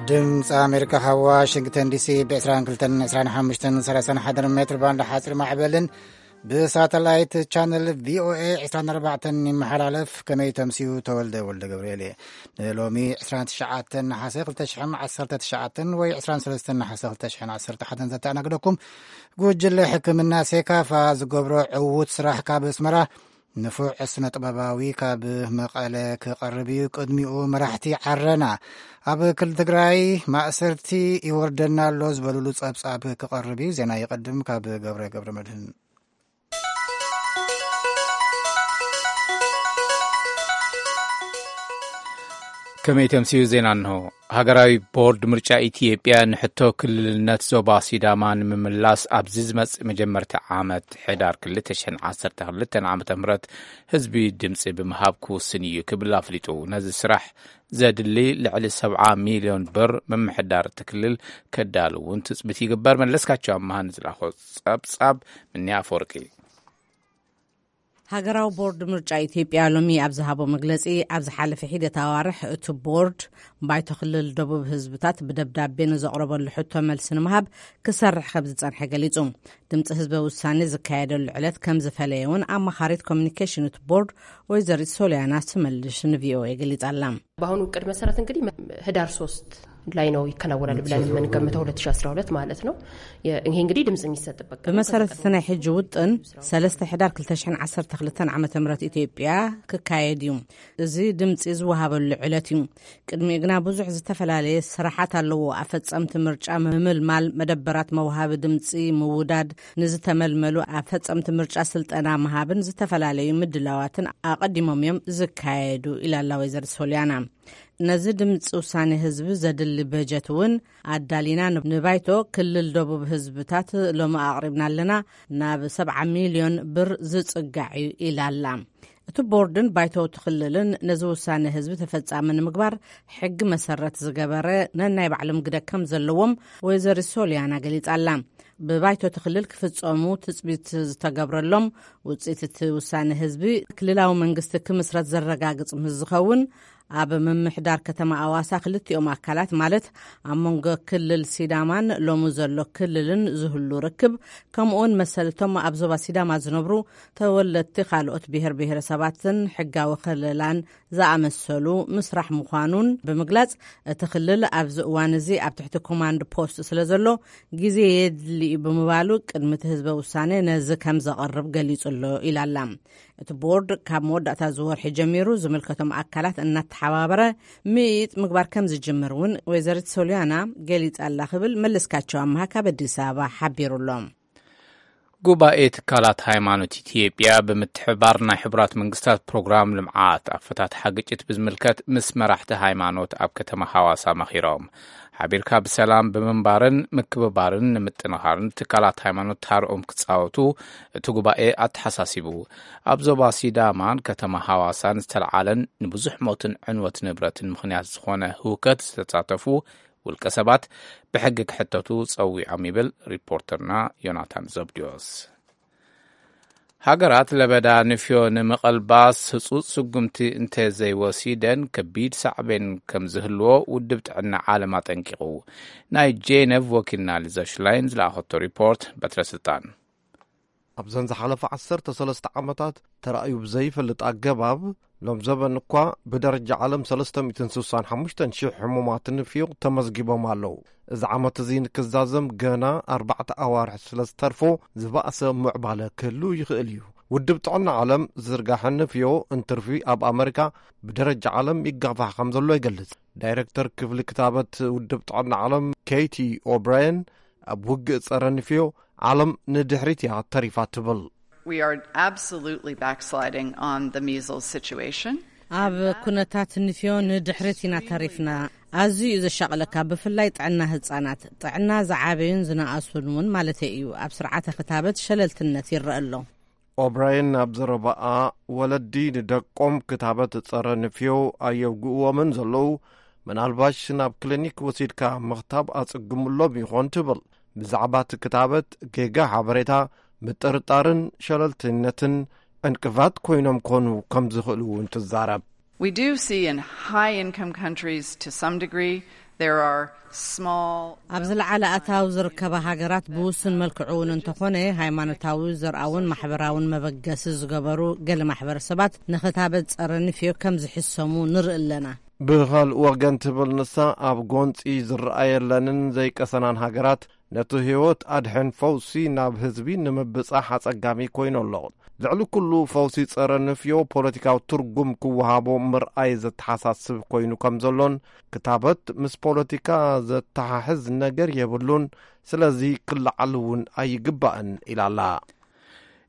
ድምፂ ኣሜሪካ ካብ ዋሽንግተን ዲሲ ብ ዕስራን ክልተን፣ ዕስራን ሓሙሽተን፣ ሰላሳን ሓደን ሜትር ባንድ ሓፂር ማዕበልን ብሳተላይት ቻነል ቪኦኤ ዕስራን ኣርባዕተን ይመሓላለፍ። ከመይ ተምስዩ? ተወልደ ወልደ ገብርኤል እየ። ንሎሚ ዕስራን ትሽዓተን ነሓሰ ክልተ ሽሕን ዓሰርተ ትሽዓተን ወይ ዕስራን ሰለስተን ነሓሰ ክልተ ሽሕን ዓሰርተ ሓደን ዘተኣናግደኩም ጉጅለ ሕክምና ሴካፋ ዝገብሮ ዕዉት ስራሕ ካብ ኣስመራ ንፉዕ ስነ ጥበባዊ ካብ መቐለ ክቐርብ እዩ። ቅድሚኡ መራሕቲ ዓረና ኣብ ክልል ትግራይ ማእሰርቲ ይወርደና ኣሎ ዝበሉሉ ጸብጻብ ክቐርብ እዩ። ዜና ይቐድም ካብ ገብረ ገብረ መድህን። ከመይ ተምስዩ? ዜና እንሆ። ሃገራዊ ቦርድ ምርጫ ኢትዮጵያ ንሕቶ ክልልነት ዞባ ሲዳማ ንምምላስ ኣብዚ ዝመጽእ መጀመርታ ዓመት ሕዳር ክልተ ሽሕን ዓሰርተ ክልተን ዓመተ ምህረት ህዝቢ ድምጺ ብምሃብ ክውስን እዩ ክብል ኣፍሊጡ። ነዚ ስራሕ ዘድሊ ልዕሊ ሰብዓ ሚልዮን ብር ምምሕዳር እቲ ክልል ከዳሉ እውን ትጽቢት ይግበር። መለስካቸው ኣምሃ ንዝላኾ ጸብጻብ ምንያ ኣፈወርቂ። ሃገራዊ ቦርድ ምርጫ ኢትዮጵያ ሎሚ ኣብ ዝሃቦ መግለጺ፣ ኣብ ዝሓለፈ ሒደት ኣዋርሕ እቲ ቦርድ ባይቶ ክልል ደቡብ ህዝብታት ብደብዳቤ ንዘቕረበሉ ሕቶ መልሲ ንምሃብ ክሰርሕ ከም ዝጸንሐ ገሊጹ። ድምጺ ህዝበ ውሳኔ ዝካየደሉ ዕለት ከም ዝፈለየ እውን ኣማኻሪት ኮሚኒኬሽን እቲ ቦርድ ወይዘሪት ሶሊያና ስመልሽ ንቪኦኤ ገሊጻ ኣላ። በአሁኑ እቅድ መሰረት እንግዲህ ህዳር ሶስት ላይ ነው ይከናወናል ብለን የምንገምተው፣ ሁለት ሺ አስራ ሁለት ማለት ነው። የ-፣ ይሄ እንግዲህ ድምጽ የሚሰጥበት ቀን ብመሰረት ከዚህ እቲ ናይ ሕጂ ውጥን፣ ሰለስተ ሕዳር ክልተ ሽሕን ዓሰርተ ክልተን ዓመተ ምህረት ኢትዮጵያ ክካየድ እዩ። እዚ ድምጺ ዝወሃበሉ ዕለት እዩ። ቅድሚኡ ግና ብዙሕ ዝተፈላለየ ስራሓት ኣለዎ። ኣፈጸምቲ ምርጫ ምምልማል፣ መደበራት መውሃቢ ድምጺ ምውዳድ፣ ንዝተመልመሉ ኣፈጸምቲ ምርጫ ስልጠና ምሃብን ዝተፈላለዩ ምድላዋትን ኣቐዲሞም እዮም ዝካየዱ ኢላ ኣላ ወይዘሪት ሶሊያና። ነዚ ድምፂ ውሳኔ ህዝቢ ዘድሊ በጀት እውን ኣዳሊና ን-፣ ንባይቶ ክልል ደቡብ ህዝብታት ሎሚ ኣቕሪብና ኣለና፣ ናብ ሰብዓ ሚልዮን ብር ዝጽጋዕ እዩ ኢላ ኣላ። እቲ ቦርድን ባይቶ እቲ ክልልን ነዚ ውሳኔ ህዝቢ ተፈጻሚ ንምግባር ሕጊ መሰረት ዝገበረ ነናይ ባዕሎም ግደ ከም ዘለዎም ወይዘሪት ሶሊያና ገሊጻ ኣላ። ብባይቶ እቲ ክልል ክፍጸሙ ትጽቢት ዝተገብረሎም ውጽኢት እቲ ውሳኔ ህዝቢ ክልላዊ መንግስቲ ክምስረት ዘረጋግጽ ምስ ዝኸውን፣ ኣብ ምምሕዳር ከተማ ኣዋሳ ክልቲኦም ኣካላት ማለት ኣብ መንጎ ክልል ሲዳማን ሎሚ ዘሎ ክልልን ዝህሉ ርክብ፣ ከምኡውን መሰልቶም ኣብ ዞባ ሲዳማ ዝነብሩ ተወለድቲ ካልኦት ብሔር ብሔረሰባትን ሕጋዊ ከለላን ዝኣመሰሉ ምስራሕ ምዃኑን ብምግላጽ፣ እቲ ክልል ኣብዚ እዋን እዚ ኣብ ትሕቲ ኮማንድ ፖስት ስለ ዘሎ ግዜ የድሊ እዩ ብምባሉ፣ ቅድሚ እቲ ህዝበ ውሳኔ ነዚ ከም ዘቐርብ ገሊጹ ኣሎ ኢላ ኣላ። እቲ ቦርድ ካብ መወዳእታ እዚ ወርሒ ጀሚሩ ዝምልከቶም ኣካላት እናተሓባበረ ምይይጥ ምግባር ከም ዝጅምር እውን ወይዘሪት ሶሊያና ገሊጻ ኣላ ክብል መለስካቸው ኣምሃ ካብ ኣዲስ ኣበባ ሓቢሩ ኣሎ። ጉባኤ ትካላት ሃይማኖት ኢትዮጵያ ብምትሕብባር ናይ ሕቡራት መንግስታት ፕሮግራም ልምዓት ኣፈታትሓ ግጭት ብዝምልከት ምስ መራሕቲ ሃይማኖት ኣብ ከተማ ሃዋሳ መኺሮም። ሓቢርካ ብሰላም ብምንባርን ምክብባርን ንምጥንኻርን ትካላት ሃይማኖት ታርኦም ክጻወቱ እቲ ጉባኤ ኣተሓሳሲቡ። ኣብ ዞባ ሲዳማን ከተማ ሃዋሳን ዝተለዓለን ንብዙሕ ሞትን ዕንወት ንብረትን ምኽንያት ዝኾነ ህውከት ዝተሳተፉ ውልቀ ሰባት ብሕጊ ክሕተቱ ጸዊዖም ይብል ሪፖርተርና ዮናታን ዘብድዮስ። ሃገራት ለበዳ ንፍዮ ንምቕልባስ ህጹጽ ስጉምቲ እንተ ዘይወሲደን ከቢድ ሳዕቤን ከም ዝህልዎ ውድብ ጥዕና ዓለም ኣጠንቂቑ። ናይ ጄነቭ ወኪልና ሊዛ ሽላይን ዝለኣኸቶ ሪፖርት በትረ ስልጣን። ኣብዘን ዝሓለፈ ዓሰርተ ሰለስተ ዓመታት ተራእዩ ብዘይፈልጥ ኣገባብ፣ ሎም ዘበን እኳ ብደረጃ ዓለም ሰለስተ ሚእትን ስሳን ሓሙሽተን ሽሕ ሕሙማት ንፍዮ ተመዝጊቦም ኣለዉ። እዚ ዓመት እዚ ንክዛዘም ገና ኣርባዕተ ኣዋርሕ ስለ ዝተርፎ፣ ዝበኣሰ ምዕባለ ክህሉ ይኽእል እዩ። ውድብ ጥዕና ዓለም፣ ዝርጋሐ ንፍዮ እንትርፊ ኣብ ኣመሪካ ብደረጃ ዓለም ይጋፋሕ ከም ዘሎ ይገልጽ። ዳይረክተር ክፍሊ ክታበት ውድብ ጥዕና ዓለም ኬይቲ ኦብራየን፣ ኣብ ውግእ ጸረ ንፍዮ ዓለም ንድሕሪት እያ ተሪፋ ትብል። We are absolutely backsliding on the measles situation. ኣብ ኩነታት ንፍዮ ንድሕሪት ኢና ተሪፍና። ኣዝዩ እዩ ዘሻቕለካ፣ ብፍላይ ጥዕና ህጻናት፣ ጥዕና ዝዓበዩን ዝነኣሱን እውን ማለተይ እዩ። ኣብ ስርዓተ ክታበት ሸለልትነት ይረአ ኣሎ። ኦብራየን ኣብ ዘረባኣ፣ ወለዲ ንደቆም ክታበት ጸረ ንፍዮ ኣየውግእዎምን ዘለዉ፣ ምናልባሽ ናብ ክሊኒክ ወሲድካ ምኽታብ ኣጸግምሎም ይኾን ትብል። ብዛዕባ እቲ ክታበት ጌጋ ሓበሬታ ምጥርጣርን ሸለልተኝነትን ዕንቅፋት ኮይኖም ኮኑ ከም ዝኽእሉ እውን ትዛረብ። We do see in high income countries to some degree There are small ኣብ ዝለዓለ ኣታዊ ዝርከባ ሃገራት ብውሱን መልክዑ እውን እንተኾነ ሃይማኖታዊ፣ ዘርኣውን ማሕበራውን መበገሲ ዝገበሩ ገለ ማሕበረሰባት ንኽታበት ጸረ ንፍዮ ከም ዝሕሰሙ ንርኢ ኣለና። ብኻልእ ወገን ትብል ንሳ፣ ኣብ ጎንጺ ዝረኣየለንን ዘይቀሰናን ሃገራት ነቲ ህይወት ኣድሕን ፈውሲ ናብ ህዝቢ ንምብጻሕ ኣጸጋሚ ኮይኑ ኣሎ። ልዕሊ ኩሉ ፈውሲ ጸረ ንፍዮ ፖለቲካዊ ትርጉም ክወሃቦ ምርኣይ ዘተሓሳስብ ኮይኑ ከም ዘሎን ክታበት ምስ ፖለቲካ ዘተሓሕዝ ነገር የብሉን፣ ስለዚ ክለዓል እውን ኣይግባእን ኢላ ኣላ።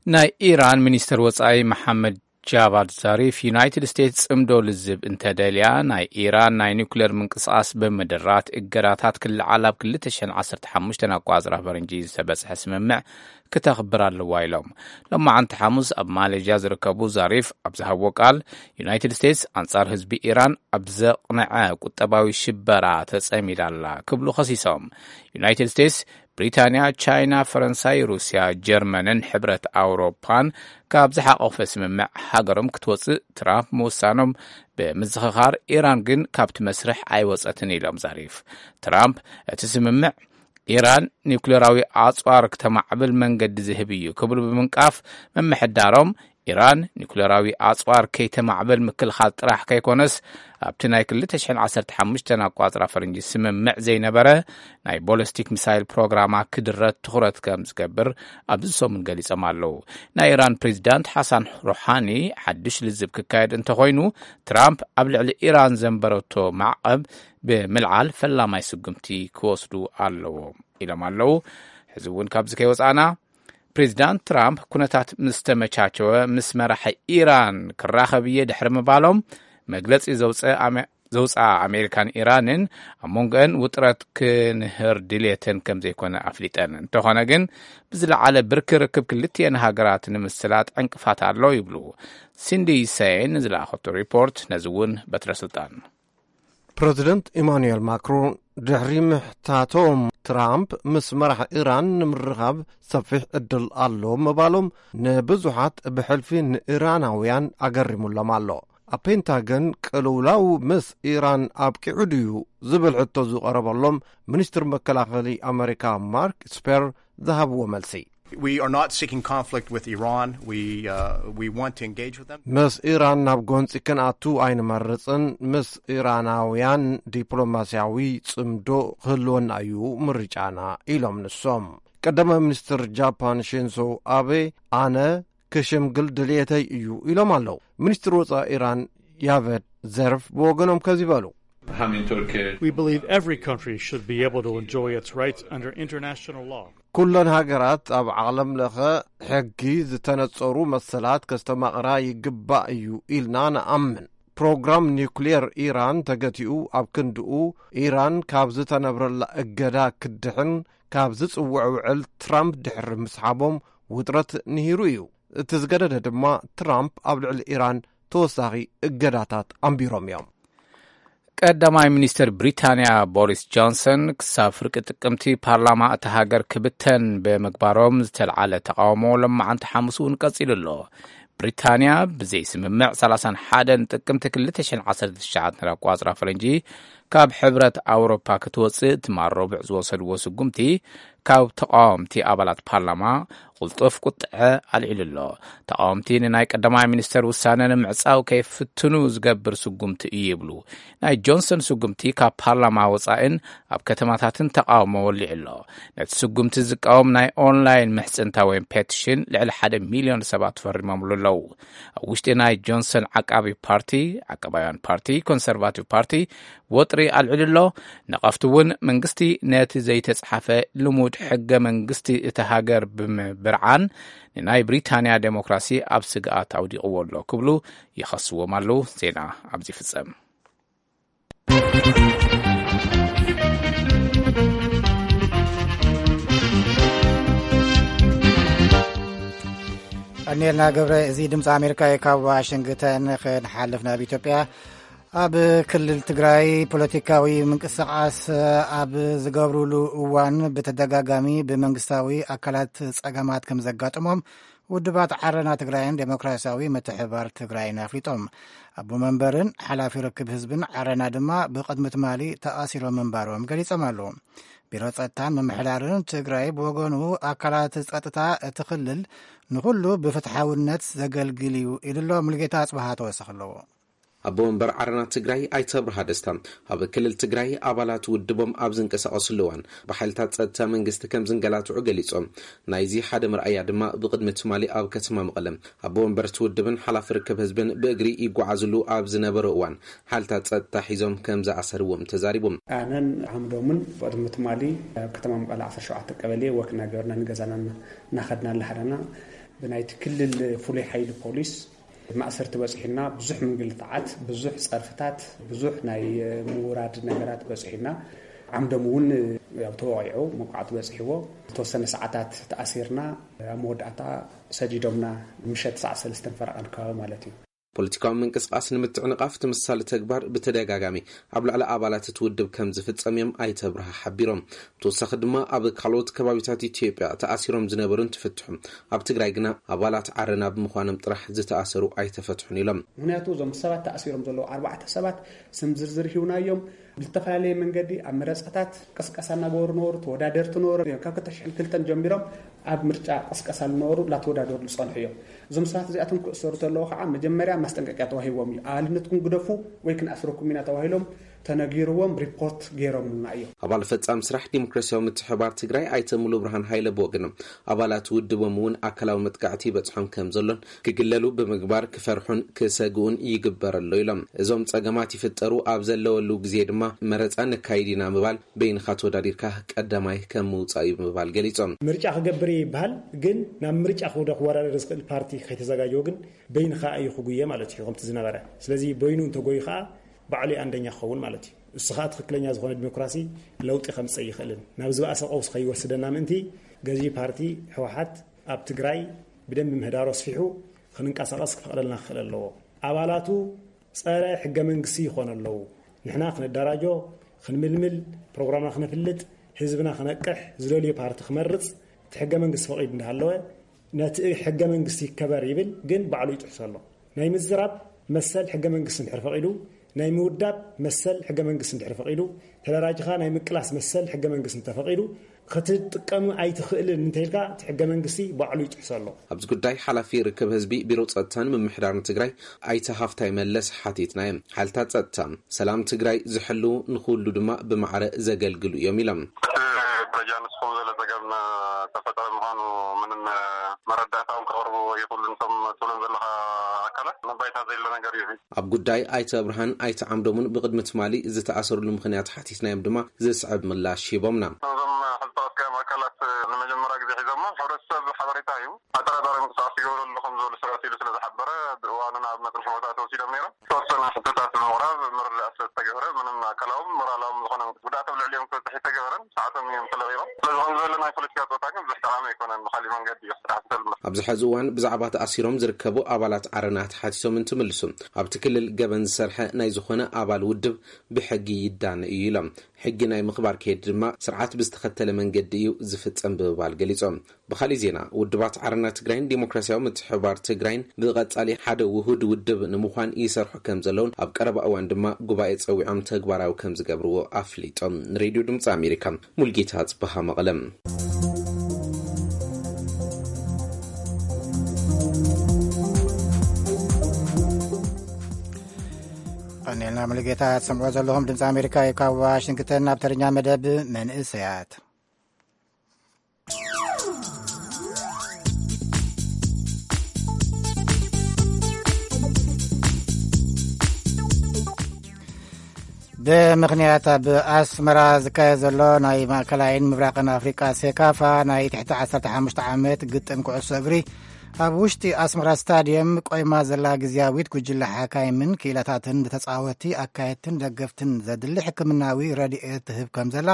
ናይ ኢራን ሚኒስትር ወጻኢ መሓመድ ጃቫድ ዛሪፍ፣ ዩናይትድ ስቴትስ ጽምዶ ልዝብ እንተደልያ፣ ናይ ኢራን ናይ ኒውክሌር ምንቅስቓስ ብምድራት እገዳታት ክለዓል ኣብ ክልተ ሽሕን ዓሰርተ ሓሙሽተን ኣቋጽራ ፈረንጂ ዝተበጽሐ ስምምዕ ክተኽብር ኣለዋ ኢሎም። ሎማዓንቲ ሓሙስ ኣብ ማሌዥያ ዝርከቡ ዛሪፍ ኣብ ዝሃብዎ ቃል፣ ዩናይትድ ስቴትስ ኣንጻር ህዝቢ ኢራን ኣብ ዘቕንዐ ቁጠባዊ ሽበራ ተጸሚዳ ኣላ ክብሉ ከሲሶም። ዩናይትድ ስቴትስ ብሪታንያ፣ ቻይና፣ ፈረንሳይ፣ ሩስያ፣ ጀርመንን ሕብረት ኣውሮፓን ካብ ዝሓቆፈ ስምምዕ ሃገሮም ክትወጽእ ትራምፕ ምውሳኖም ብምዝኽኻር፣ ኢራን ግን ካብቲ መስርሕ ኣይወጸትን ኢሎም ዛሪፍ። ትራምፕ እቲ ስምምዕ ኢራን ኒውክሌራዊ ኣጽዋር ክተማዕብል መንገዲ ዝህብ እዩ ክብሉ ብምንቃፍ፣ ምምሕዳሮም ኢራን ኒኩሌራዊ ኣጽዋር ከይተማዕብል ምክልኻል ጥራሕ ከይኮነስ፣ ኣብቲ ናይ ክልተ ሽሕን ዓሰርተ ሓሙሽተን ኣቋጽራ ፈረንጂ ስምምዕ ዘይነበረ ናይ ቦለስቲክ ሚሳይል ፕሮግራማ ክድረት ትኹረት ከም ዝገብር ኣብዚ ሰሙን ገሊጾም ኣለዉ። ናይ ኢራን ፕሬዚዳንት ሓሳን ሮሓኒ ሓድሽ ልዝብ ክካየድ እንተኾይኑ፣ ትራምፕ ኣብ ልዕሊ ኢራን ዘንበረቶ ማዕቐብ ብምልዓል ፈላማይ ስጉምቲ ክወስዱ ኣለዎም ኢሎም ኣለዉ። ሕዚ እውን ካብዚ ከይወጻእና፣ ፕሬዚዳንት ትራምፕ ኩነታት ምስ ተመቻቸወ ምስ መራሒ ኢራን ክራኸብ እየ ድሕሪ ምባሎም፣ መግለጺ ዘውፀ ኣመ-፣ ዘውፅኣ ኣሜሪካን ኢራንን ኣብ መንጎአን ውጥረት ክንህር ድልየተን ከም ዘይኮነ ኣፍሊጠን። እንተኾነ ግን ብዝለዓለ ብርኪ ርክብ ክልቲኤን ሃገራት ንምስላጥ ዕንቅፋት ኣሎ ይብሉ። ሲንዲ ሰይን ዝለኣኸቶ ሪፖርት ነዚ እውን በትረ ስልጣን። ፕረዚደንት ኢማኑኤል ማክሮን ድሕሪ ምሕታቶም ትራምፕ ምስ መራሕ ኢራን ንምርኻብ ሰፊሕ ዕድል ኣሎ ምባሎም ንብዙሓት ብሕልፊ ንኢራናውያን ኣገሪሙሎም ኣሎ። ኣብ ፔንታገን ቅልውላው ምስ ኢራን ኣብቂዑ ድዩ ዝብል ሕቶ ዝቐረበሎም ሚኒስትር መከላኸሊ ኣመሪካ ማርክ ስፐር ዝሃብዎ መልሲ። We are not seeking conflict with Iran. We, uh, we want to engage with them. ምስ ኢራን ናብ ጎንፂ ክንኣቱ ኣይንመርፅን፣ ምስ ኢራናውያን ዲፕሎማስያዊ ፅምዶ ክህልወና እዩ ምርጫና ኢሎም ንሶም። ቀዳማይ ሚኒስትር ጃፓን ሺንዞ ኣቤ ኣነ ክሽምግል ድልየተይ እዩ ኢሎም ኣለዉ። ሚኒስትር ወፃኢ ኢራን ያቨድ ዘርፍ ብወገኖም ከዚ በሉ። We believe every country should be able to enjoy its rights under international law. ኩለን ሃገራት ኣብ ዓለም ለኸ ሕጊ ዝተነጸሩ መሰላት ከስተማቕራ ይግባእ እዩ ኢልና ንኣምን። ፕሮግራም ኒውክሌር ኢራን ተገቲኡ ኣብ ክንድኡ ኢራን ካብ ዝተነብረላ እገዳ ክትድሕን ካብ ዝጽውዕ ውዕል ትራምፕ ድሕሪ ምስሓቦም ውጥረት ንሂሩ እዩ። እቲ ዝገደደ ድማ ትራምፕ ኣብ ልዕሊ ኢራን ተወሳኺ እገዳታት ኣንቢሮም እዮም። ቀዳማይ ሚኒስትር ብሪታንያ ቦሪስ ጆንሰን ክሳብ ፍርቂ ጥቅምቲ ፓርላማ እታ ሃገር ክብተን ብምግባሮም ዝተልዓለ ተቃውሞ ሎማዓንቲ ሓሙስ እውን ቀጺሉ ኣሎ። ብሪታንያ ብዘይ ስምምዕ ሰላሳን ሓደን ጥቅምቲ ክልተ ሽሕን ዓሰርተ ትሽዓተን ኣቋጽራ ፈረንጂ ካብ ሕብረት ኣውሮፓ ክትወጽእ ትማል ረቡዕ ዝወሰድዎ ስጉምቲ ካብ ተቃወምቲ ኣባላት ፓርላማ ቅልጡፍ ቁጥዐ ኣልዒሉ ኣሎ። ተቃወምቲ ንናይ ቀዳማይ ሚኒስተር ውሳነ ንምዕጻው ከይፍትኑ ዝገብር ስጉምቲ እዩ ይብሉ። ናይ ጆንሰን ስጉምቲ ካብ ፓርላማ ወጻኢን ኣብ ከተማታትን ተቃውሞ ወሊዑ ኣሎ። ነቲ ስጉምቲ ዝቃወም ናይ ኦንላይን ምሕጽንታ ወይ ፔቲሽን ልዕሊ ሓደ ሚልዮን ሰባት ፈሪሞምሉ ኣለዉ። ኣብ ውሽጢ ናይ ጆንሰን ዓቃቢ ፓርቲ፣ ዓቃባውያን ፓርቲ፣ ኮንሰርቫቲቭ ፓርቲ፣ ወጥሪ ኣልዒሉ ኣሎ። ነቐፍቲ እውን መንግስቲ ነቲ ዘይተጻሓፈ ልሙድ ሕገ መንግስቲ እታ ሃገር ብምብርዓን ንናይ ብሪታንያ ዴሞክራሲ ኣብ ስግኣት ኣውዲቕዎ ኣሎ ክብሉ ይኸስዎም ኣለዉ። ዜና ኣብዚ ይፍጸም። ቀኒልና ገብረ፣ እዚ ድምፂ ኣሜሪካ እዩ። ካብ ዋሽንግተን ክንሓልፍ ናብ ኢትዮጵያ። ኣብ ክልል ትግራይ ፖለቲካዊ ምንቅስቃስ ኣብ ዝገብሩሉ እዋን ብተደጋጋሚ ብመንግስታዊ ኣካላት ጸገማት ከም ዘጋጥሞም ውድባት ዓረና ትግራይን ዴሞክራሲያዊ ምትሕባር ትግራይን ኣፍሊጦም። ኣቦ መንበርን ሓላፊ ርክብ ህዝብን ዓረና ድማ ብቕድሚ ትማሊ ተኣሲሮም ምንባሮም ገሊጾም ኣለዉ። ቢሮ ጸጥታን ምምሕዳርን ትግራይ ብወገኑ ኣካላት ጸጥታ እቲ ክልል ንኹሉ ብፍትሓውነት ዘገልግል እዩ ኢሉ ኣሎ። ሙሉጌታ ኣጽብሃ ተወሰኽ ኣለዎ። ኣቦ ወንበር ዓረና ትግራይ ኣይተ ኣብርሃ ደስታ ኣብ ክልል ትግራይ ኣባላት ውድቦም ኣብ ዝንቀሳቐስሉ እዋን ብሓይልታት ጸጥታ መንግስቲ ከም ዝንገላትዑ ገሊጾም። ናይዚ ሓደ መርኣያ ድማ ብቕድሚ ትማሊ ኣብ ከተማ መቐለ ኣቦ ወንበር እቲ ውድብን ሓላፊ ርክብ ህዝብን ብእግሪ ይጓዓዝሉ ኣብ ዝነበሩ እዋን ሓይልታት ጸጥታ ሒዞም ከም ዝኣሰርዎም ተዛሪቦም። ኣነን ዓምዶምን ቅድሚ ትማሊ ኣብ ከተማ መቐለ ዓሰርተ ሸውዓተ ቀበሌ ወክ እናገበርና ንገዛና እናኸድና ኣለሓዳና ብናይቲ ክልል ፍሉይ ሓይሊ ፖሊስ ማእሰርቲ በፂሑና፣ ብዙሕ ምንግልታዓት፣ ብዙሕ ፀርፍታት፣ ብዙሕ ናይ ምውራድ ነገራት በፂሑና። ዓምዶም እውን ያው ተወቒዑ፣ መውቃዕቲ በፂሕዎ። ዝተወሰነ ሰዓታት ተኣሲርና፣ ኣብ መወዳእታ ሰዲዶምና፣ ምሸት ሰዓት ሰለስተን ፈረቓን ከባቢ ማለት እዩ። ፖለቲካዊ ምንቅስቃስ ንምትዕንቓፍ ተመሳሳሊ ተግባር ብተደጋጋሚ ኣብ ልዕሊ ኣባላት እቲ ውድብ ከም ዝፍጸም እዮም ኣይተ ኣብርሃ ሓቢሮም። ብተወሳኺ ድማ ኣብ ካልኦት ከባቢታት ኢትዮጵያ ተኣሲሮም ዝነበሩ እንትፍትሑ፣ ኣብ ትግራይ ግና ኣባላት ዓረና ብምዃኖም ጥራሕ ዝተኣሰሩ ኣይተፈትሑን ኢሎም። ምኽንያቱ እዞም ሰባት ተኣሲሮም ዘለዉ ኣርባዕተ ሰባት ስም ዝርዝር ሂውናዮም። ብዝተፈላለየ መንገዲ ኣብ መረፃታት ቅስቀሳ እናገበሩ ነበሩ። ተወዳደርቲ ነበሩ። ካብ ክልተ ሽሕን ክልተን ጀሚሮም ኣብ ምርጫ ቅስቀሳ ዝነበሩ እናተወዳደሩ ዝፀንሑ እዮም። እዞም ሰባት እዚኣቶም ክእሰሩ ተለዉ ከዓ መጀመርያ ማስጠንቀቂያ ተዋሂቦም እዩ። ኣባልነትኩም ግደፉ ወይ ክንኣስረኩም ኢና ተባሂሎም ተነጊርዎም ሪፖርት ገይሮምና እዮም። ኣባል ፈጻሚ ስራሕ ዲሞክራሲያዊ ምትሕባር ትግራይ ኣይተ ሙሉ ብርሃን ሃይለ ብወገኖም ኣባላት ውድቦም እውን ኣካላዊ መጥቃዕቲ ይበፅሖም ከም ዘሎን ክግለሉ ብምግባር ክፈርሑን ክሰግኡን ይግበር ኣሎ ኢሎም። እዞም ጸገማት ይፍጠሩ ኣብ ዘለወሉ ግዜ ድማ መረፃ ነካይድ ኢና ምባል በይንኻ ተወዳዲርካ ቀዳማይ ከም ምውፃእ እዩ ምባል ገሊጾም። ምርጫ ክገብር እየ ይበሃል፣ ግን ናብ ምርጫ ክውደ ክወዳደር ዝኽእል ፓርቲ ከይተዘጋጀወ ግን በይንኻ እዩ ክጉየ ማለት እዩ ከምቲ ዝነበረ። ስለዚ በይኑ እንተጎዩ ከዓ ባዕሉ እዩ ኣንደኛ ክኸውን ማለት እዩ። እሱ ከዓ ትኽክለኛ ዝኾነ ዲሞክራሲ ለውጢ ከምፅእ ይኽእልን ናብ ዝበኣሰ ቀውስ ከይወስደና ምእንቲ ገዢ ፓርቲ ህወሓት ኣብ ትግራይ ብደንቢ ምህዳሩ ኣስፊሑ ክንንቀሳቐስ ክፈቕደልና ክኽእል ኣለዎ። ኣባላቱ ጸረ ሕገ መንግስቲ ይኾኑ ኣለዉ። ንሕና ክንደራጆ፣ ክንምልምል፣ ፕሮግራምና ክነፍልጥ፣ ህዝብና ክነቅሕ፣ ዝደልዮ ፓርቲ ክመርጽ፣ እቲ ሕገ መንግስቲ ፈቒዱ እንዳሃለወ፣ ነቲ ሕገ መንግስቲ ይከበር ይብል፣ ግን ባዕሉ ይጥሕሶ ኣሎ። ናይ ምዝራብ መሰል ሕገ መንግስቲ እንድሕር ፈቒዱ፣ ናይ ምውዳብ መሰል ሕገ መንግስቲ እንድሕር ፈቒዱ፣ ተደራጅኻ ናይ ምቅላስ መሰል ሕገ መንግስቲ እንተፈቒዱ፣ ክትጥቀም ኣይትኽእልን እንተኢልካ፣ እቲ ሕገ መንግስቲ ባዕሉ ይጥሕሶ ኣሎ። ኣብዚ ጉዳይ ሓላፊ ርክብ ህዝቢ ቢሮ ጸጥታን ምምሕዳርን ትግራይ ኣይተ ሃፍታይ መለስ ሓቲትናዮም። ሓይልታት ጸጥታ ሰላም ትግራይ ዝሕልዉ፣ ንኹሉ ድማ ብማዕረ ዘገልግሉ እዮም ኢሎም። እቲ ደረጃ ንስኹም ዘሎ ጸገም ተፈጠረ ምዃኑ ምንም መረዳእታኦም ከቕርቡ ይኽእሉ። ንሶም ትብሎም ዘለኻ ኣካላት መባይታ ዘይሎ ነገር እዩ። ኣብ ጉዳይ ኣይተ ኣብርሃን ኣይተ ዓምዶምን ብቕድሚ ትማሊ ዝተኣሰሩሉ ምኽንያት ሓቲትናዮም ድማ ዝስዕብ ምላሽ ሂቦምና። እዞም ሕልጠወስካዮም ኣካላት ንመጀመርያ ግዜ ሒዞሞ፣ ሕብረተሰብ ሓበሬታ እዩ። ኣጠራጣሪ ምንቅስቃስ ይገብሩ ኣለኹም ዝበሉ ሰባት ኢሉ ስለ ዝሓበረ፣ ብእዋኑ ናብ መፅንሒ ቦታ ተወሲዶም ነይሮም። ዝተወሰነ ሕቶታት ብምቕራብ ምርዳእ ስለ ዝተገብረ፣ ምንም ኣካላዎም ሞራላዎም ዝኾነ ጉድኣት ኣብ ልዕሊኦም ክበፅሕ ኣይተገበረን። ሰዓቶም እዮም ተለቒቖም። ስለዚ ከም ዝበለ ናይ ፖለቲካ ፆታ ግን ብዙሕ ጠቓሚ ኣይኮነን። ብካሊእ መንገዲ እዩ ክስራሕ ዝኽእል። ኣብዚ ሕዚ እዋን ብዛዕባ ተኣሲሮም ዝርከቡ ኣባላት ዓረና ተሓቲቶም እንትምልሱ፣ ኣብቲ ክልል ገበን ዝሰርሐ ናይ ዝኾነ ኣባል ውድብ ብሕጊ ይዳነ እዩ ኢሎም። ሕጊ ናይ ምኽባር ከይዲ ድማ ስርዓት ብዝተኸተለ መንገዲ እዩ ዝፍጸም ብምባል ገሊጾም። ብኻሊእ ዜና፣ ውድባት ዓረና ትግራይን ዲሞክራሲያዊ ምትሕብባር ትግራይን ብቐጻሊ ሓደ ውሁድ ውድብ ንምዃን ይሰርሑ ከም ዘለውን ኣብ ቀረባ እዋን ድማ ጉባኤ ጸዊዖም ተግባራዊ ከም ዝገብርዎ ኣፍሊጦም። ንሬድዮ ድምፂ ኣሜሪካ፣ ሙልጌታ ጽበሃ መቐለም። ቀኒልና ሙሉጌታ ትሰምዕዎ ዘለኹም ድምፂ ኣሜሪካ እዩ። ካብ ዋሽንግተን ናብ ተረኛ መደብ መንእሰያት። ብምኽንያት ኣብ ኣስመራ ዝካየድ ዘሎ ናይ ማእከላይን ምብራቕን ኣፍሪቃ ሴካፋ ናይ ትሕቲ ዓሰርተ ሓሙሽተ ዓመት ግጥም ኩዕሶ እግሪ ኣብ ውሽጢ ኣስመራ ስታድየም ቆይማ ዘላ ግዝያዊት ጉጅለ ሓካይምን ክኢላታትን ንተጻወትቲ፣ ኣካየድትን ደገፍትን ዘድሊ ሕክምናዊ ረድኤት ትህብ ከም ዘላ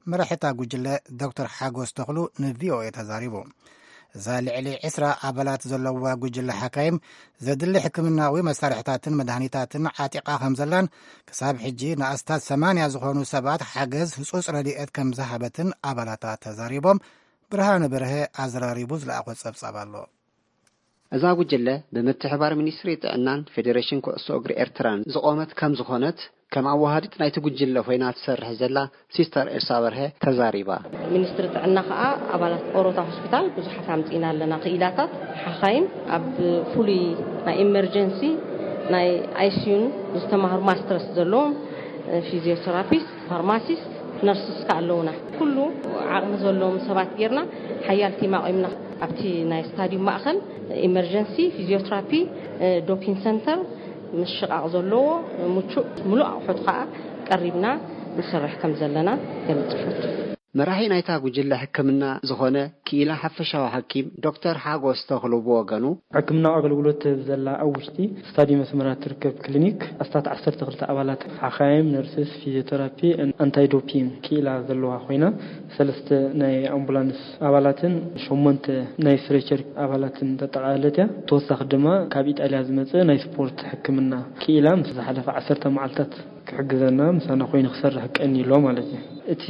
መራሒታ ጉጅለ ዶክተር ሓጎስ ተኽሉ ንቪኦኤ ተዛሪቡ። እዛ ልዕሊ ዕስራ ኣባላት ዘለዋ ጉጅለ ሓካይም ዘድሊ ሕክምናዊ መሳርሕታትን መድሃኒታትን ዓጢቓ ከም ዘላን፣ ክሳብ ሕጂ ንኣስታት ሰማንያ ዝኾኑ ሰባት ሓገዝ ህጹጽ ረድኤት ከም ዝሃበትን ኣባላታ ተዛሪቦም። ብርሃነ በርሀ ኣዘራሪቡ ዝለኣኾ ጸብጻብ ኣሎ። እዛ ጉጅለ ብምትሕባር ሚኒስትሪ ጥዕናን ፌዴሬሽን ኩዕሶ እግሪ ኤርትራን ዝቖመት ከም ዝኾነት፣ ከም ኣዋሃዲት ናይቲ ጉጅለ ኮይና ትሰርሕ ዘላ ሲስተር ኤልሳ በርሀ ተዛሪባ። ሚኒስትሪ ጥዕና ከኣ ኣባላት ኦሮታ ሆስፒታል ብዙሓት ኣምጺእና ኣለና። ክኢላታት ሓኻይም፣ ኣብ ፍሉይ ናይ ኢመርጀንሲ ናይ ኣይሲዩን ዝተማህሩ ማስተርስ ዘለዎም፣ ፊዚዮቴራፒስት፣ ፋርማሲስት፣ ነርስስ ከኣ ኣለውና። ኩሉ ዓቕሚ ዘለዎም ሰባት ጌርና ሓያል ቲም ኣቑምና። ኣብቲ ናይ ስታዲዩም ማእኸል ኢመርጀንሲ፣ ፊዚዮቴራፒ፣ ዶፒን ሰንተር፣ ምሽቓቕ ዘለዎ ምቹእ ምሉእ ኣቑሑት ከኣ ቀሪብና ንሰርሕ ከም ዘለና ገልጽ ይፈቱ። መራሒ ናይታ ጉጅለ ሕክምና ዝኾነ ክኢላ ሓፈሻዊ ሓኪም ዶክተር ሓጎስ ተኽሉ ብወገኑ፣ ሕክምናዊ ኣገልግሎት ትህብ ዘላ ኣብ ውሽጢ ስታዲየም ኣስመራ ትርከብ ክሊኒክ ኣስታት ዓሰርተ ክልተ ኣባላት ሓኻይም፣ ነርስስ፣ ፊዚዮቴራፒ፣ ኣንታይ ዶፒንግ ክኢላ ዘለዋ ኮይና፣ ሰለስተ ናይ ኣምቡላንስ ኣባላትን ሸሞንተ ናይ ስትሬቸር ኣባላትን ተጠቓለለት እያ። ተወሳኺ ድማ ካብ ኢጣልያ ዝመጸ ናይ ስፖርት ሕክምና ክኢላ ምስ ዝሓለፈ ዓሰርተ መዓልታት ክሕግዘና ምሳና ኮይኑ ክሰርሕ ቀኒ ኣሎ ማለት እዩ። እቲ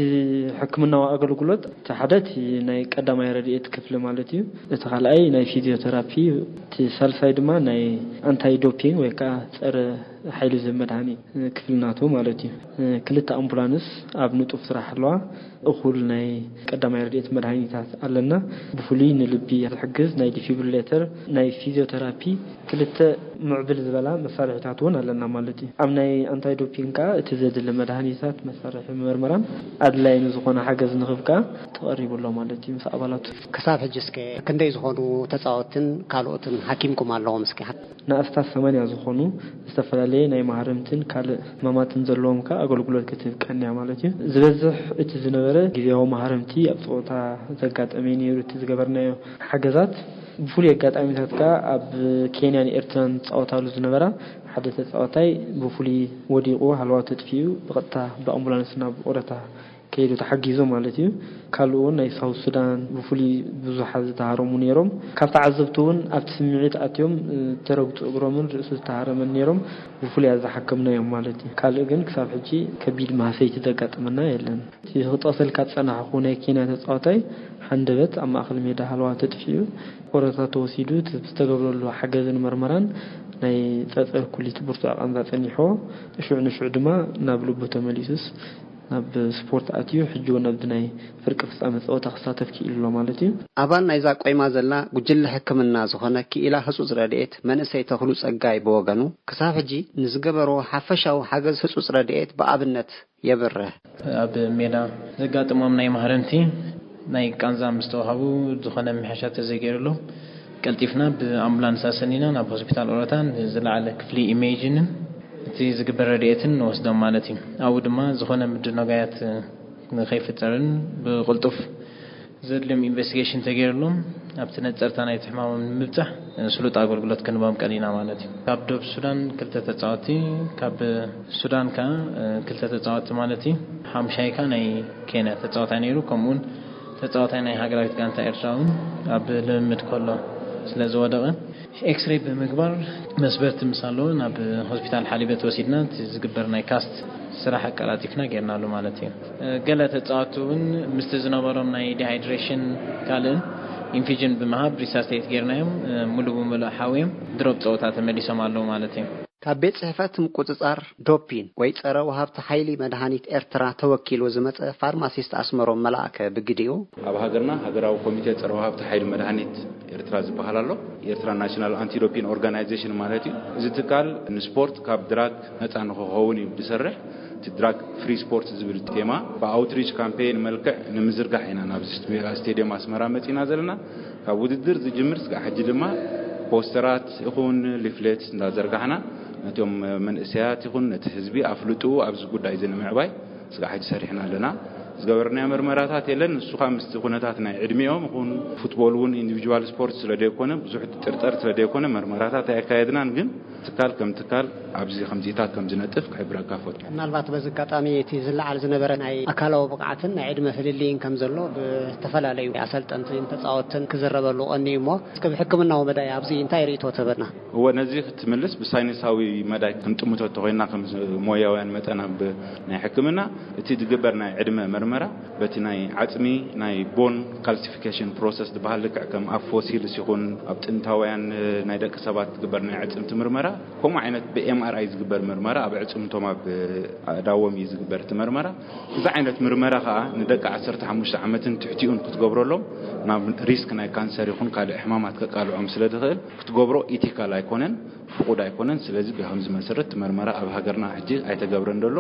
ሕክምናዊ ኣገልግሎት እቲ ሓደ እቲ ናይ ቀዳማይ ረድኤት ክፍሊ ማለት እዩ። እቲ ካልኣይ ናይ ፊዚዮቴራፒ፣ እቲ ሳልሳይ ድማ ናይ ኣንታይ ዶፒንግ ወይ ከዓ ጸረ ሓይሊ ዝህብ መድሃኒት ክፍሊ ናቱ ማለት እዩ። ክልተ ኣምቡላንስ ኣብ ንጡፍ ስራሕ ኣለዋ። እኹል ናይ ቀዳማይ ረድኤት መድሃኒታት ኣለና። ብፍሉይ ንልቢ ዝሕግዝ ናይ ዲፊብሪሌተር፣ ናይ ፊዚዮቴራፒ፣ ክልተ ምዕብል ዝበላ መሳርሒታት እውን ኣለና ማለት እዩ። ኣብ ናይ ኣንታይ ዶፒንግ ከዓ እቲ ዘድሊ መድሃኒታት፣ መሳርሒ መርመራን ኣድላዪ ንዝኾነ ሓገዝ ንኽብ ከዓ ተቐሪቡ ኣሎ ማለት እዩ ምስ ኣባላቱ። ክሳብ ሕጂ እስከ ክንደይ ዝኾኑ ተጻወትን ካልኦትን ሓኪምኩም ኣለዎም እስኪ? ንኣስታት ሰማንያ ዝኾኑ ዝተፈላለየ ናይ ማህረምትን ካልእ ሕማማትን ዘለዎም ከኣ ኣገልግሎት ክትህብ ቀንያ ማለት እዩ። ዝበዝሕ እቲ ዝነበረ ግዜያዊ ማህረምቲ ኣብ ጸወታ ዘጋጠመ እዩ ነይሩ። እቲ ዝገበርናዮ ሓገዛት ብፍሉይ ኣጋጣሚታት ከኣ ኣብ ኬንያን ኤርትራን ዝጻወታሉ ዝነበራ ሓደ ተጻዋታይ ብፍሉይ ወዲቑ ሃለዋቱ ተጥፊኡ ብቐጥታ ብኣምቡላንስ ናብ ኦረታ ከይዱ ተሓጊዙ ማለት እዩ። ካልኡ እውን ናይ ሳውት ሱዳን ብፍሉይ ብዙሓት ዝተሃረሙ ነይሮም። ካብ ተዓዘብቲ እውን ኣብቲ ስምዒት ኣትዮም፣ እ፣ ተረግጹ እግሮምን ርእሱ ዝተሃረመን ነይሮም። ብፍሉይ ኣዝሓከምናዮም ማለት እዩ። ካልእ ግን ክሳብ ሕጂ ከቢድ ማህሰይቲ ዘጋጠመና የለን። እቲ ክጠቕሰልካ ዝጸናሕኩ ናይ ኬንያ ተጻዋታይ ሃንደበት ኣብ ማእከል ሜዳ ሃለዋ ተጥፊኡ ቆረታ ተወሲዱ፣ እቲ ዝተገብረሉ ሓገዝን መርመራን ናይ ጸጸር ኩሊት ብርቱዕ ቃንዛ ጸኒሕዎ። ሽዑ ንሽዑ ድማ ናብ ልቡ ተመሊሱስ ናብ ስፖርት ኣትዩ፣ ሕጂ እውን ኣብዚ ናይ ፍርቂ ፍጻመ ጸወታ ክሳተፍ ክኢሉ ኣሎ ማለት እዩ። ኣባል ናይዛ ቆይማ ዘላ ጉጅለ ሕክምና ዝኾነ ክኢላ ህጹጽ ረድኤት መንእሰይ ተኽሉ ጸጋይ ብወገኑ፣ ክሳብ ሕጂ ንዝገበርዎ ሓፈሻዊ ሓገዝ ህጹጽ ረድኤት ብኣብነት የብርህ። ኣብ ሜዳ ዘጋጥሞም ናይ ማህረምቲ ናይ ቃንዛ ምስ ተዋሃቡ፣ ዝኾነ ምሕሻ ተዘይገይሩሎም፣ ቀልጢፍና ብኣምቡላንስ ኣሰኒና ናብ ሆስፒታል ኦሮታ ንዝለዓለ ክፍሊ ኢሜጅንን እቲ ዝግበር ረድኤትን ንወስዶም ማለት እዩ። ኣብኡ ድማ ዝኾነ ምድንጋያት ንኸይፍጠርን ብቕልጡፍ ዘድልዮም ኢንቨስቲጌሽን ተገይሩሎም ኣብቲ ነጸርታ ናይቲ ሕማሞም ንምብጻሕ ስሉጥ ኣገልግሎት ክንቦም ቀኒና ማለት እዩ። ካብ ደቡብ ሱዳን ክልተ ተጻወቲ፣ ካብ ሱዳን ከኣ ክልተ ተጻወቲ ማለት እዩ። ሓሙሻይ ከኣ ናይ ኬንያ ተጻዋታይ ነይሩ። ከምኡውን ተጻዋታይ ናይ ሃገራዊት ጋንታ ኤርትራ እውን ኣብ ልምምድ ከሎ ስለ ዝወደቐ፣ ኤክስሬይ ብምግባር መስበርቲ ምስ ኣለዎ ናብ ሆስፒታል ሓሊበት ወሲድና፣ እቲ ዝግበር ናይ ካስት ስራሕ ኣቀላጢፍና ጌርናሉ ማለት እዩ። ገለ ተጻወትቲ እውን ምስቲ ዝነበሮም ናይ ዲሃይድሬሽን ካልእን ኢንፊጅን ብምሃብ ሪሳስቴት ጌርናዮም፣ ሙሉ ብሙሉ ሓውዮም ድሮብ ጸወታ ተመሊሶም ኣለዉ ማለት እዩ። ካብ ቤት ጽሕፈት ምቁጽጻር ዶፒን ወይ ጸረ ወሃብቲ ሓይሊ መድሃኒት ኤርትራ ተወኪሉ ዝመጸ ፋርማሲስት ኣስመሮም መልኣከ ብግዲኡ፣ ኣብ ሃገርና ሃገራዊ ኮሚቴ ጸረ ወሃብቲ ሓይሊ መድሃኒት ኤርትራ ዝበሃል ኣሎ። ኤርትራ ናሽናል ኣንቲ ዶፒን ኦርጋናይዜሽን ማለት እዩ። እዚ ትካል ንስፖርት ካብ ድራግ ነጻ ንክኸውን እዩ ዝሰርሕ። እቲ ድራግ ፍሪ ስፖርት ዝብል ቴማ ብኣውትሪች ካምፔይን መልክዕ ንምዝርጋሕ ኢና ናብ ስቴዲየም ኣስመራ መጺና ዘለና። ካብ ውድድር ዝጅምር ስጋዕ ሕጂ ድማ ፖስተራት ይኹን ሊፍሌት እንዳዘርጋሕና ነቶም መንእሰያት ይኹን ነቲ ህዝቢ ኣፍልጥኡ ኣብዚ ጉዳይ እዚ ንምዕባይ ስጋዕ ሕጂ ሰሪሕና ኣለና። ዝገበርናዮ መርመራታት የለን። ንሱ ኸኣ ምስቲ ኩነታት ናይ ዕድሚኦም ይኹን ፉትቦል እውን ኢንዲቪጁዋል ስፖርት ስለ ዘይኮነ፣ ብዙሕ ጥርጠር ስለ ዘይኮነ መርመራታት ኣየካየድናን። ግን ትካል ከም ትካል ኣብዚ ከምዚታት ከም ዝነጥፍ ክሕብረካ ፈቱ። ምናልባት በዚ ኣጋጣሚ እቲ ዝለዓል ዝነበረ ናይ ኣካላዊ ብቕዓትን ናይ ዕድመ ፍልልይን ከም ዘሎ ብዝተፈላለዩ ኣሰልጠንትን ተጻወትን ክዝረበሉ ቀንዩ እሞ፣ እስከ ብሕክምናዊ መዳይ ኣብዚ እንታይ ርእይቶ ትህበና? እወ፣ ነዚ ክትምልስ ብሳይንሳዊ መዳይ ክንጥምቶ እንተኾይና፣ ከም ሞያውያን መጠን ኣብ ናይ ሕክምና፣ እቲ ዝግበር ናይ ዕድመ መርመራ በቲ ናይ ዓጽሚ ናይ ቦን ካልሲፊኬሽን ፕሮሰስ ዝበሃል፣ ልክዕ ከም ኣብ ፎሲልስ ይኹን ኣብ ጥንታውያን ናይ ደቂ ሰባት ዝግበር ናይ ኣዕጽምቲ ምርመራ፣ ከምኡ ዓይነት ብኤምኣርኣይ ዝግበር ምርመራ፣ ኣብ ኣዕጽምቶም ኣብ ኣእዳዎም እዩ ዝግበር እቲ ምርመራ። እዚ ዓይነት ምርመራ ከዓ ንደቂ ዓሰርተ ሓሙሽተ ዓመትን ትሕቲኡን ክትገብረሎም፣ ናብ ሪስክ ናይ ካንሰር ይኹን ካልእ ሕማማት ከቃልዖም ስለ ዝኽእል፣ ክትገብሮ ኢቲካል ኣይኮነን፣ ፍቑድ ኣይኮነን። ስለዚ ብከምዚ መሰረት እቲ መርመራ ኣብ ሃገርና ሕጂ ኣይተገብረን ዘሎ።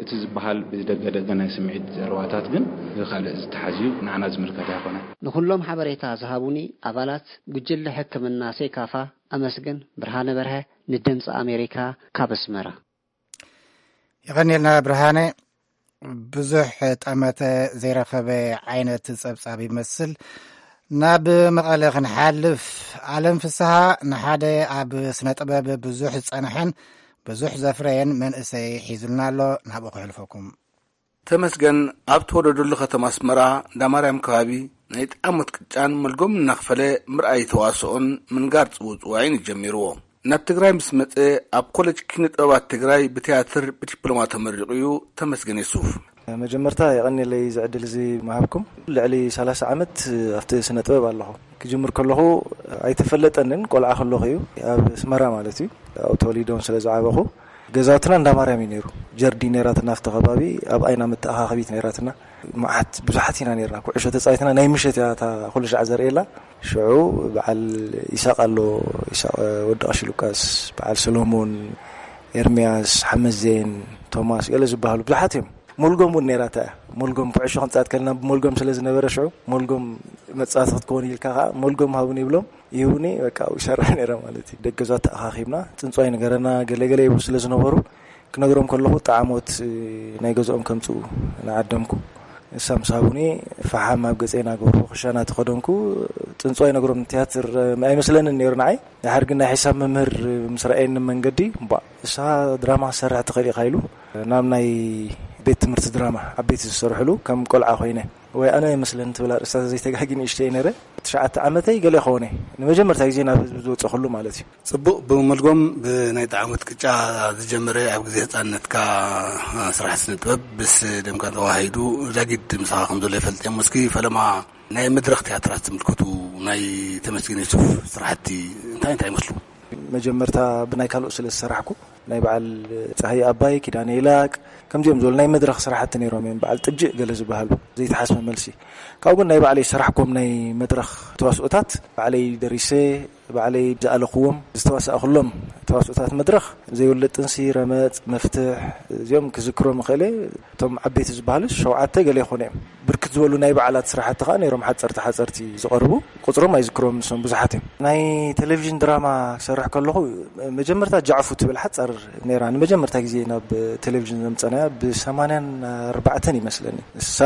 እቲ ዝበሃል ብደገ ደገ ናይ ስምዒት ዘረባታት ግን ካልእ ዝተሓዝዩ ንዓና ዝምልከት ኣይኮነን። ንኹሎም ሓበሬታ ዝሃቡኒ ኣባላት ጉጅለ ሕክምና ሴካፋ ኣመስግን። ብርሃነ በርሀ ንድምፂ ኣሜሪካ ካብ ኣስመራ። የቐንየልና ብርሃነ። ብዙሕ ጠመተ ዘይረኸበ ዓይነት ጸብጻብ ይመስል። ናብ መቐለ ክንሓልፍ፣ ኣለም ፍስሃ ንሓደ ኣብ ስነ ጥበብ ብዙሕ ዝጸንሐን ብዙሕ ዘፍረየን መንእሰይ ሒዙልና ኣሎ። ናብኡ ክሕልፈኩም። ተመስገን ኣብ ተወለደሉ ከተማ ኣስመራ እንዳማርያም ከባቢ ናይ ጣሞት ቅጫን መልጎም እናኽፈለ ምርኣይ ተዋስኦን ምንጋር ጽውጽዋይን ጀሚርዎ። ናብ ትግራይ ምስ መጸ ኣብ ኮሌጅ ኪነ ጥበባት ትግራይ ብትያትር ብዲፕሎማ ተመሪቑ እዩ። ተመስገን የሱፍ። መጀመርታ የቐንየለይ እዚ ዕድል እዚ ምሃብኩም። ልዕሊ ሰላሳ ዓመት ኣብቲ ስነ ጥበብ ኣለኹ። ክጅምር ከለኹ ኣይተፈለጠንን፣ ቆልዓ ከለኹ እዩ፣ ኣብ ኣስመራ ማለት እዩ። ኣብኡ ተወሊዶን ስለ ዝዓበኹ፣ ገዛውትና እንዳ ማርያም እዩ ነይሩ። ጀርዲ ነይራትና ኣብቲ ከባቢ፣ ኣብ ኣይና መተኣኻኸቢት ነይራትና። መዓት ብዙሓት ኢና ነይርና። ኩዕሾ ተጻዊትና ናይ ምሸት እያ እታ ኩሉ ሻዕ ዘርእየላ። ሽዑ በዓል ይሳቕ ኣሎ፣ ይሳቕ ወዲ ቀሺ ሉቃስ፣ በዓል ሰሎሞን፣ ኤርምያስ፣ ሓመዜን፣ ቶማስ፣ ገለ ዝበሃሉ ብዙሓት እዮም። ሞልጎም እውን ነይራታ እያ። ሞልጎም ኩዕሾ ክንጻወት ከለና ብሞልጎም ስለ ዝነበረ ሽዑ ሞልጎም መጻወቲ ክትከውን ኢልካ ከኣ ሞልጎም ሃቡኒ ይብሎም፣ ይህቡኒ፣ በቃ ኣብኡ ይሰርሕ ነይረ ማለት እዩ። ደገ ገዛ ተኣኻኺብና ጽንጽዋይ ንገረና ገለ ገለ ይብሉ ስለ ዝነበሩ ክነግሮም ከለኹ ጣዕሞት ናይ ገዝኦም ከምጽኡ ንዓደምኩ። ንሳ ምስ ሃቡኒ ፈሓም ኣብ ገጸይ እናገበርኩ ክሻ እናተኸደንኩ ጽንጽዋይ ነግሮም። ትያትር ኣይመስለንን ነይሩ ንዓይ። ድሓር ግን ናይ ሒሳብ መምህር ምስ ረኣየኒ መንገዲ፣ "እምቧእ፣ ንስኻ ድራማ ክትሰርሕ ትኽእል ኢኻ" ኢሉ ናብ ናይ ቤት ትምህርቲ ድራማ ዓበይቲ ዝሰርሕሉ ከም ቆልዓ ኮይነ፣ ወይ ኣነ ይመስለኒ ትብል ኣርእስታ ዘይተጋጊ ንእሽተይ ነይረ። ትሽዓተ ዓመተይ ገለ ይኸውን እየ ንመጀመርታ ግዜ ናብ ህዝቢ ዝወፀኹሉ ማለት እዩ። ጽቡቕ፣ ብመልጎም ብናይ ጣዕሞት ቅጫ ዝጀመረ ኣብ ግዜ ህጻንነትካ ስራሕ ስነ ጥበብ ምስ ደምካ ተዋሃሂዱ ዛጊድ ምሳኻ ከም ዘሎ ይፈልጥ እየ። እስኪ ፈለማ ናይ መድረኽ ትያትራት ዝምልከቱ ናይ ተመስገን የሱፍ ስራሕቲ እንታይ እንታይ ይመስሉ? መጀመርታ ብናይ ካልኦት ስለ ዝሰራሕኩ፣ ናይ በዓል ጸሃየ ኣባይ፣ ኪዳነ ይላቅ፣ ከምዚኦም ዝበሉ ናይ መድረኽ ስራሕቲ ነይሮም እዮም። በዓል ጥጅእ ገለ ዝበሃሉ ዘይተሓስበ መልሲ። ካብኡ ግን ናይ ባዕለይ ዝሰራሕኩም ናይ መድረኽ ተዋስኦታት ባዕለይ ደሪሰ፣ ባዕለይ ዝኣለኽዎም ዝተዋሳእኩሎም ተዋስኦታት መድረኽ ዘይውለድ ጥንሲ፣ ረመጽ፣ መፍትሕ፣ እዚኦም ክዝክሮም እኽእል እየ። እቶም ዓበይቲ ዝበሃሉ ሸውዓተ ገለ ይኾኑ እዮም። ብርክት ዝበሉ ናይ በዓላት ስራሕቲ ከዓ ነይሮም፣ ሓፀርቲ ሓፀርቲ ዝቐርቡ፣ ቁፅሮም ኣይዝክሮም፣ ንሶም ብዙሓት እዮም። ናይ ቴሌቪዥን ድራማ ክሰርሕ ከለኹ መጀመርታ ጃዕፉ ትብል ሓፃር ነይራ፣ ንመጀመርታ ግዜ ናብ ቴሌቪዥን ዘምፀናያ ብሰማንያን ኣርባዕተን ይመስለኒ። እሳ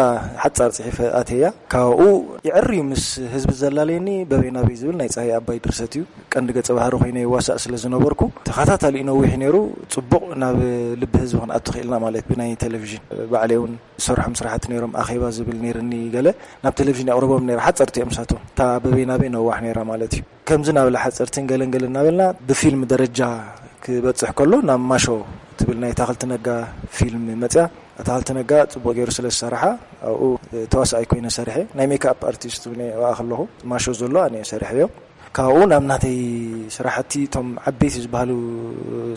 ሓፃር ፅሒፈ ኣተያ፣ ካብኡ ይዕር እዩ ምስ ህዝቢ ዘላለየኒ በበይ ናበይ ዝብል ናይ ፀሃይ ኣባይ ድርሰት እዩ። ቀንዲ ገጸ ባህሪ ኮይነ ይዋሳእ ስለ ዝነበርኩ፣ ተኸታታሊ እዩ ነዊሕ ነይሩ። ጽቡቕ ናብ ልቢ ህዝቢ ክንኣቱ ክኢልና ማለት ብናይ ቴሌቪዥን። ባዕለይ እውን ዝሰርሖም ስራሕቲ ነይሮም፣ ኣኼባ ዝብል ነይርኒ ገለ፣ ናብ ቴሌቪዥን የቕርቦም ነይረ። ሓጸርቲ እዮም ንሳቶም። እታ በበይ ናበይ ነዋሕ ነይራ ማለት እዩ። ከምዚ እናበለ ሓጸርትን ገለን ገለን እናበልና ብፊልም ደረጃ ክበጽሕ ከሎ ናብ ማሾ ትብል ናይ ኣታኽልቲ ነጋ ፊልም መጽያ። ኣታኽልቲ ነጋ ጽቡቕ ገይሩ ስለ ዝሰርሓ ኣብኡ ተዋሳኣይ ኮይነ ሰሪሐ። ናይ ሜክኣፕ ኣርቲስት እውን እየ ኣብኣ ከለኹ። ማሾ ዘሎ ኣነ እየ ሰሪሐዮ። ካብኡ ናብ ናተይ ስራሕቲ፣ እቶም ዓበይቲ ዝበሃሉ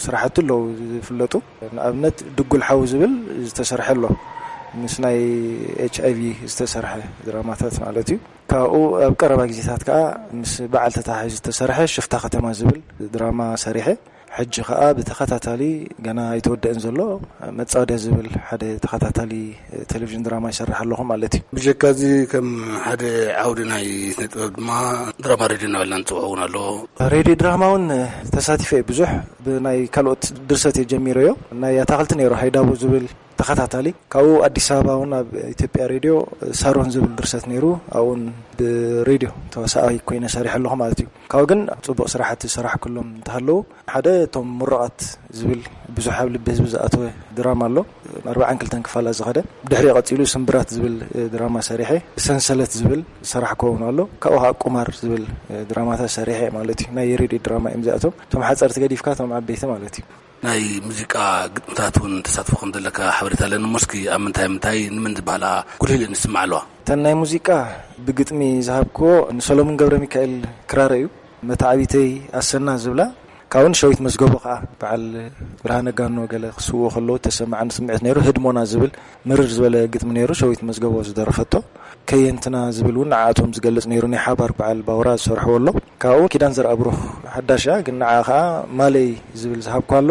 ስራሕቲ ኣለዉ ዝፍለጡ። ንኣብነት ድጉል ሓው ዝብል ዝተሰርሐ ኣሎ ምስ ናይ ኤች ኣይ ቪ ዝተሰርሐ ድራማታት ማለት እዩ። ካብኡ ኣብ ቀረባ ግዜታት ከዓ ምስ በዓል ተታሒዙ ዝተሰርሐ ሽፍታ ከተማ ዝብል ድራማ ሰሪሐ። ሕጂ ከዓ ብተኸታታሊ ገና ኣይተወደእን ዘሎ መጻወድያ ዝብል ሓደ ተኸታታሊ ቴሌቪዥን ድራማ ይሰርሕ ኣለኹ ማለት እዩ። ብጀካ እዚ ከም ሓደ ዓውዲ ናይ ስነ ጥበብ ድማ ድራማ ሬድዮ እናበልና ንፅውዖ እውን ኣሎ። ሬድዮ ድራማ እውን ተሳቲፈ እየ ብዙሕ። ብናይ ካልኦት ድርሰት እየ ጀሚረዮ። ናይ ኣታኽልቲ ነይሩ ሃይዳቦ ዝብል፣ ተኸታታሊ። ካብኡ ኣዲስ ኣበባ እውን ኣብ ኢትዮጵያ ሬድዮ ሳሮን ዝብል ድርሰት ነይሩ። ኣብኡን ብሬድዮ ተዋሳኣይ ኮይነ ሰሪሐ ኣለኹ ማለት እዩ። ካብኡ ግን ጽቡቕ ስራሕቲ ዝሰራሕኩሎም እንተሃለዉ፣ ሓደ እቶም ምሩቓት ዝብል ብዙሕ ኣብ ልቢ ህዝቢ ዝኣተወ ድራማ ኣሎ። ኣርባዓን ክልተን ክፋላት ዝኸደ። ብድሕሪኡ ቀጺሉ ስምብራት ዝብል ድራማ ሰሪሐ፣ ሰንሰለት ዝብል ዝሰራሕኩዎ እውን ኣሎ። ካብኡ ከዓ ቁማር ዝብል ድራማታት ሰሪሐ ማለት እዩ። ናይ ሬድዮ ድራማ እዮም እዚኣቶም። እቶም ሓጸርቲ ገዲፍካ እቶም ዓበይቲ ማለት እዩ። ናይ ሙዚቃ ግጥምታት እውን ተሳትፎ ከም ዘለካ ሓበሬታ ኣለኒ። እሞ እስኪ ኣብ ምንታይ ምንታይ ንመን ዝበሃላ ጉልህ ኢለን ይስማዓ ኣለዋ? እተን ናይ ሙዚቃ ብግጥሚ ዝሃብክዎ ንሰሎሙን ገብረ ሚካኤል ክራር እዩ። መታዕቢተይ ኣሰና ዝብላ፣ ካብኡን ሸዊት መዝገቦ ከዓ በዓል ብርሃነ ጋኖ ገለ ክስውኡ ከለዉ ተሰማዓኒ ስምዒት ነይሩ። ህድሞና ዝብል ምርር ዝበለ ግጥሚ ነይሩ፣ ሸዊት መዝገቦ ዝደረፈቶ። ከየንትና ዝብል እውን ንዓኣቶም ዝገልጽ ነይሩ፣ ናይ ሓባር በዓል ባውራ ዝሰርሕዎ ኣሎ። ካብኡ ኪዳን ዘርኣብሩኽ ሓዳሽ እያ፣ ግን ንዓ ከዓ ማለይ ዝብል ዝሃብኳ ኣሎ።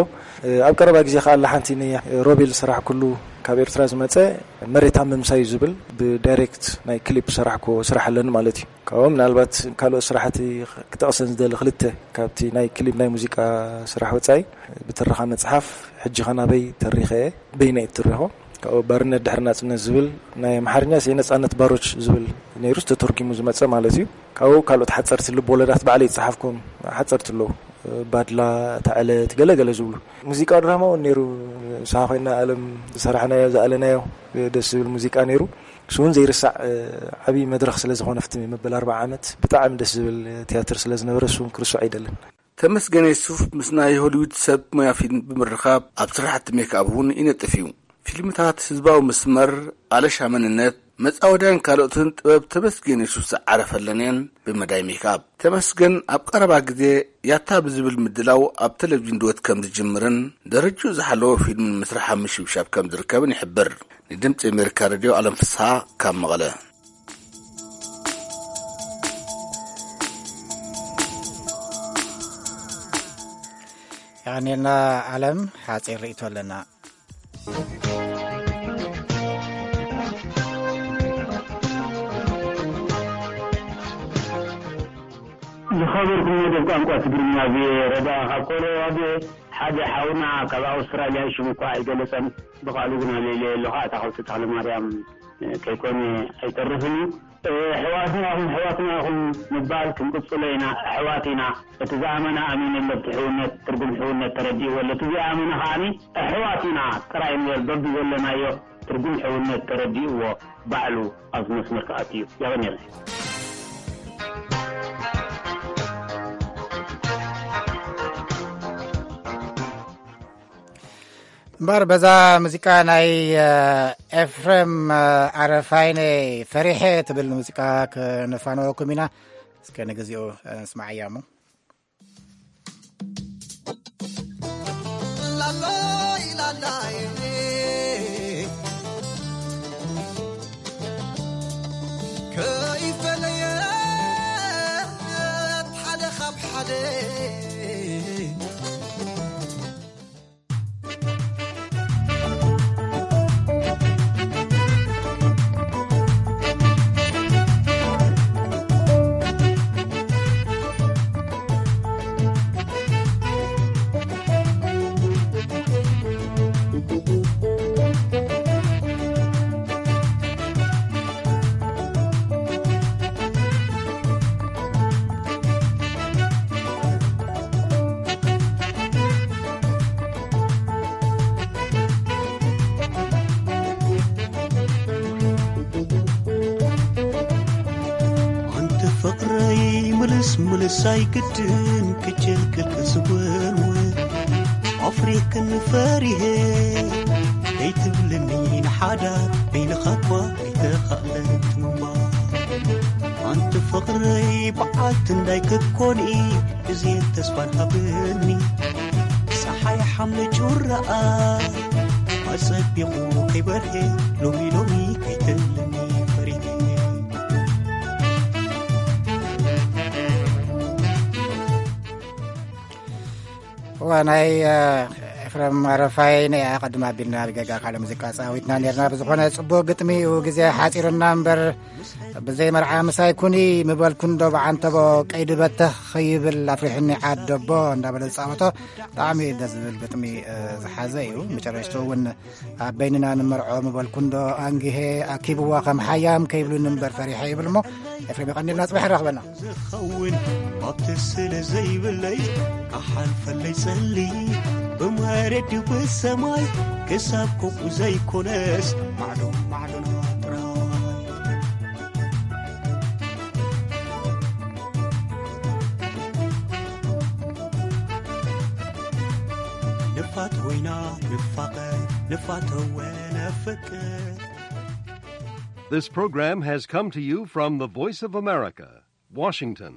ኣብ ቀረባ ግዜ ከዓ ኣላ ሓንቲ ንሮቤል ዝሰራሕኩሉ ካብ ኤርትራ ዝመጸ መሬት ኣብ ምምሳዩ ዝብል ብዳይሬክት ናይ ክሊፕ ዝሰራሕኩዎ ስራሕ ኣለኒ ማለት እዩ። ካብኡ ምናልባት ካልኦት ስራሕቲ ክጠቕሰን ዝደሊ ክልተ ካብቲ ናይ ክሊፕ ናይ ሙዚቃ ስራሕ ወጻኢ ብትረኻ መጽሓፍ ሕጂ ኸ ናበይ ተሪኸ እየ፣ በይነ እየ ትሪኾ። ካብኡ ባርነት ድሕሪ ናጽነት ዝብል ናይ ኣምሓርኛ ስየ ነጻነት ባሮች ዝብል ነይሩ ተተርጉሙ ዝመጸ ማለት እዩ። ካብኡ ካልኦት ሓጸርቲ ልብ ወለዳት ባዕለይ ዝጸሓፍኩም ሓጸርቲ ኣለዉ። ባድላ፣ እታ ዕለት፣ ገለ ገለ ዝብሉ። ሙዚቃ ድራማ እውን ነይሩ። ንስኻ ኮይና ኣለም ዝሰራሕናዮ፣ ዝኣለናዮ ደስ ዝብል ሙዚቃ ነይሩ። እሱ እውን ዘይርሳዕ ዓብዪ መድረኽ ስለ ዝኾነ፣ ፍትሚ መበል ኣርባዓ ዓመት ብጣዕሚ ደስ ዝብል ትያትር ስለ ዝነበረ፣ እሱ እውን ክርስዕ ኣይደልን። ተመስገን የሱፍ ምስ ናይ ሆሊውድ ሰብ ሞያ ፊልም ብምርኻብ ኣብ ስራሕቲ ሜክኣፕ እውን ይነጥፍ እዩ። ፊልምታት ህዝባዊ መስመር፣ ኣለሻ መንነት፣ መጻወድያን ካልኦትን ጥበብ ተመስገን የሱፍ ዝዓረፈለን እየን። ብመዳይ ሜክኣፕ ተመስገን ኣብ ቀረባ ግዜ ያታ ብዝብል ምድላው ኣብ ቴሌቪዥን ድወት ከም ዝጅምርን ደረጅኡ ዝሓለወ ፊልምን ምስራሕ ኣብ ምሽብሻብ ከም ዝርከብን ይሕብር። ንድምፂ ኣሜሪካ ሬድዮ ኣለም ፍስሃ ካብ መቐለ። የቐንየልና ኣለም፣ ሓፂር ርእይቶ ኣለና። ዝኸበርኩም መደብ ቋንቋ ትግርኛ ቪኦኤ ረዳ ካብ ኮሎራዶ ሓደ ሓውና ካብ ኣውስትራልያ ሽሙ እኳ ኣይገለጸን ብቓሉ ግን ኣለለየ ኣለኹ ኣታኸልቲ ተኽለ ማርያም ከይኮነ ኣይተርፍን እዩ። ኣሕዋትና ኢኹም ኣሕዋትና ኢኹም ምባል ክንቅጽሎ ኢና። ኣሕዋት ኢና። እቲ ዝኣመነ ኣሚኑ ኣሎ ኣብቲ ሕውነት ትርጉም ሕውነት ተረዲእዎ ኣሎ። እቲ ዘይኣመነ ከዓኒ ኣሕዋት ኢና ጥራይ እምበር በብዘለናዮ ትርጉም ሕውነት ተረዲእዎ ባዕሉ ኣብዚ መስመር ክኣቱ እዩ። የቐንየለይ። እምበር በዛ ሙዚቃ ናይ ኤፍሬም ኣረፋይነ ፈሪሐ ትብል ሙዚቃ ክነፋነወኩም ኢና። እስከ ንግዚኡ ንስማዓያ እሞ። ኣንቲ ፍቕረይ ምልስ ምልስ ኣይግድን ክጅልክል ክዝወልወ ኣፍሪክን ፈሪሄ ከይትብልኒ ንሓዳር በይንኻ እኳ ኣይተኻእለት ምንባር ኣንቲ ፍቕረይ በዓልቲ እንዳይ ክትኮኒ እዚ ተስፋን ሃብኒ ፀሓይ ሓምለ ጩራኣ ኣጸቢቑ ከይበርሄ ሎሚ ሎሚ ከይትብልኒ ፈሪሄ እዋ ናይ ፍረም ኣረፋይ ነያ ቅድም ኣቢልና ብገጋ ካልእ ሙዚቃ ጻዊትና ነርና። ብዝኾነ ጽቡቕ ግጥሚ እዩ፣ ግዜ ሓጺርና እምበር ብዘይ መርዓ ምሳይ ኩኒ ምበልኩ እንዶ ብዓንተቦ ቀይዲ በተኽ ኸይብል ኣፍሪሕኒ ዓደቦ እንዳበለ ዝጻወቶ ብጣዕሚ ደስ ዝብል ግጥሚ ዝሓዘ እዩ። መጨረሽቱ እውን ኣብ በይንና ንመርዖ ምበልኩ እንዶ ኣንግሄ ኣኪብዋ ከም ሓያም ከይብሉኒ እምበር ፈሪሐ ይብል እሞ ኤፍሬም የቐንልና ጽባሕ ይራኽበና። ዝኸውን ባብቲ ስለ ዘይብለይ ኣሓልፈለይ ጸሊ ብማረድ ብሰማይ ክሳብ ኮኩ ዘይኮነስ ማዕዶ ማዕዶና ጥራይ ንፋት ወይና ንፋቐ ንፋተወ ነፍቅር This program has come to you from the Voice of America, Washington.